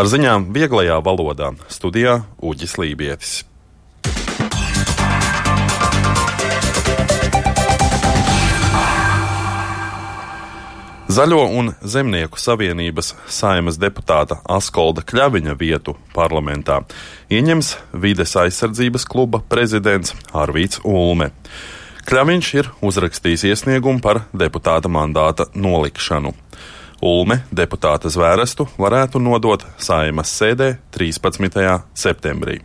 Ar ziņām vieglajā valodā studijā Uģis Lībietis. Zaļo un Zemnieku savienības Saeimas deputāta Askolda Kļaviņa vietu parlamentā ieņems Vides aizsardzības kluba prezidents Arvīts Ulme. Kļaviņš ir uzrakstījis iesniegumu par deputāta mandāta nolikšanu. Ulme deputāta zvērestu varētu nodot Saeimas sēdē 13. septembrī.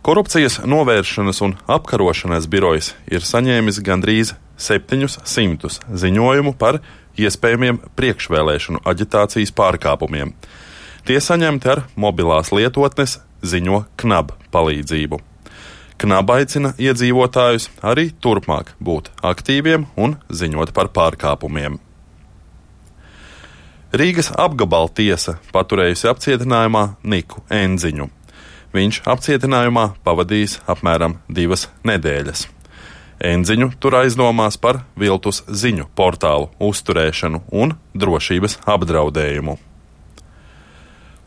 Korupcijas novēršanas un apkarošanas birojas ir saņēmis gandrīz 700 ziņojumu par iespējamiem priekšvēlēšanu aģitācijas pārkāpumiem. Tie saņemti ar mobilās lietotnes ziņo KNAB palīdzību. KNAB aicina iedzīvotājus arī turpmāk būt aktīviem un ziņot par pārkāpumiem. Rīgas apgabala tiesa paturējusi apcietinājumā Niku Enziņu. Viņš apcietinājumā pavadījis apmēram 2 nedēļas. Enziņu tur aizdomās par viltus ziņu portālu uzturēšanu un drošības apdraudējumu.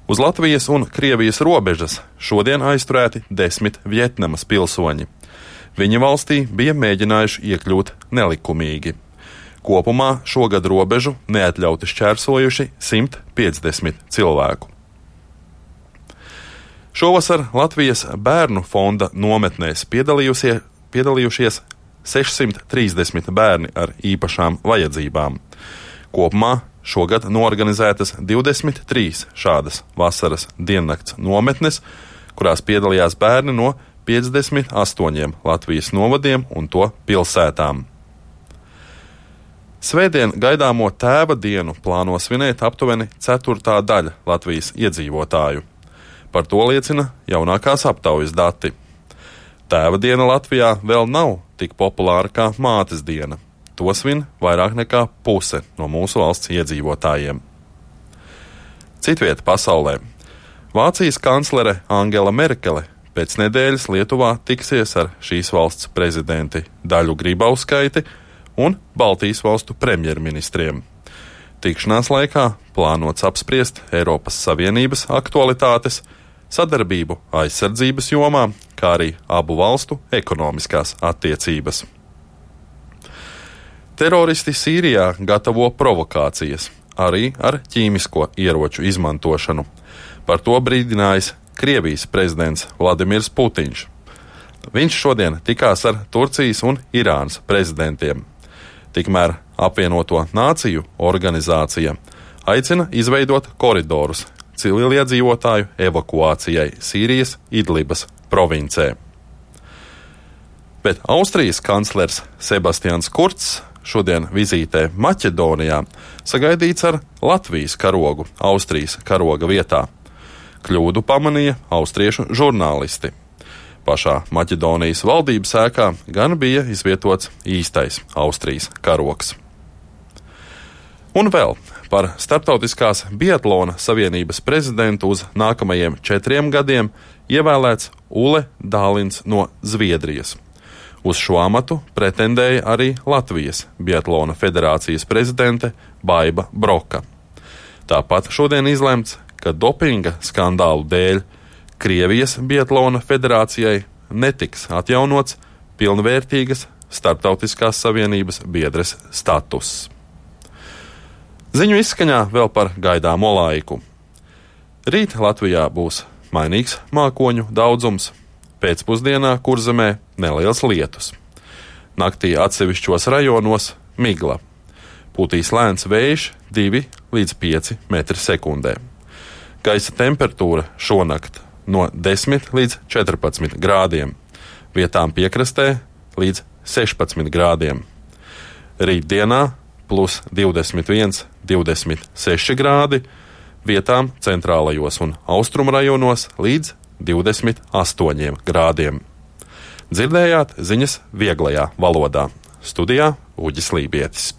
Uz Latvijas un Krievijas robežas šodien aizturēti 10 Vjetnamas pilsoņi. Viņi valstī bija mēģinājuši iekļūt nelikumīgi. Kopumā šogad robežu neatļauti šķērsojuši 150 cilvēku. Šovasar Latvijas bērnu fonda nometnēs piedalījušies 630 bērni ar īpašām vajadzībām. Kopumā šogad norganizētas 23 šādas vasaras diennakts nometnes, kurās piedalījās bērni no 58 Latvijas novadiem un to pilsētām. Svētdien gaidāmo tēva dienu plāno svinēt aptuveni 1/4 daļa Latvijas iedzīvotāju. Par to liecina jaunākās aptaujas dati. Tēva diena Latvijā vēl nav tik populāra kā mātes diena. To svin vairāk nekā puse no mūsu valsts iedzīvotājiem. Citvieta pasaulē. Vācijas kanclere Angela Merkele pēc nedēļas Lietuvā tiksies ar šīs valsts prezidenti Daļu Grybauskaiti un Baltijas valstu premjerministriem. Tikšanās laikā plānots apspriest Eiropas Savienības aktualitātes, sadarbību aizsardzības jomā, kā arī abu valstu ekonomiskās attiecības. Teroristi Sīrijā gatavo provokācijas, arī ar ķīmisko ieroču izmantošanu. Par to brīdinājis Krievijas prezidents Vladimirs Putiņš. Viņš šodien tikās ar Turcijas un Irānas prezidentiem. Tikmēr apvienoto nāciju organizācija aicina izveidot koridorus civiliedzīvotāju evakuācijai Sīrijas Idlibas provincē. Bet Austrijas kanclers Sebastians Kurcs šodien vizītē Maķedonijā sagaidīts ar Latvijas karogu Austrijas karoga vietā. Kļūdu pamanīja austriešu žurnālisti. Pašā Maķedonijas valdības ēkā gan bija izvietots īstais Austrijas karogs. Un vēl par Starptautiskās biatlona savienības prezidentu uz nākamajiem 4 gadiem ievēlēts Ule Dālins no Zviedrijas. Uz šo amatu pretendēja arī Latvijas biatlona federācijas prezidente Baiba Broka. Tāpat šodien izlemts, ka dopinga skandālu dēļ Krievijas biatlona federācijai netiks atjaunots pilnvērtīgas Starptautiskās savienības biedres status. Ziņu izskaņā vēl par gaidāmo laiku. Rīt Latvijā būs mainīgs mākoņu daudzums, pēcpusdienā Kurzemē neliels lietus. Naktī atsevišķos rajonos migla. Pūtīs lēns vējš 2 līdz 5 metri sekundē. Gaisa temperatūra šonakt no 10 līdz 14 grādiem, vietām piekrastē līdz 16 grādiem. Rītdienā plus 21, 26 grādi, vietām centrālajos un austrumrajonos līdz 28 grādiem. Dzirdējāt ziņas vieglajā valodā. Studijā Uģis Lībietis.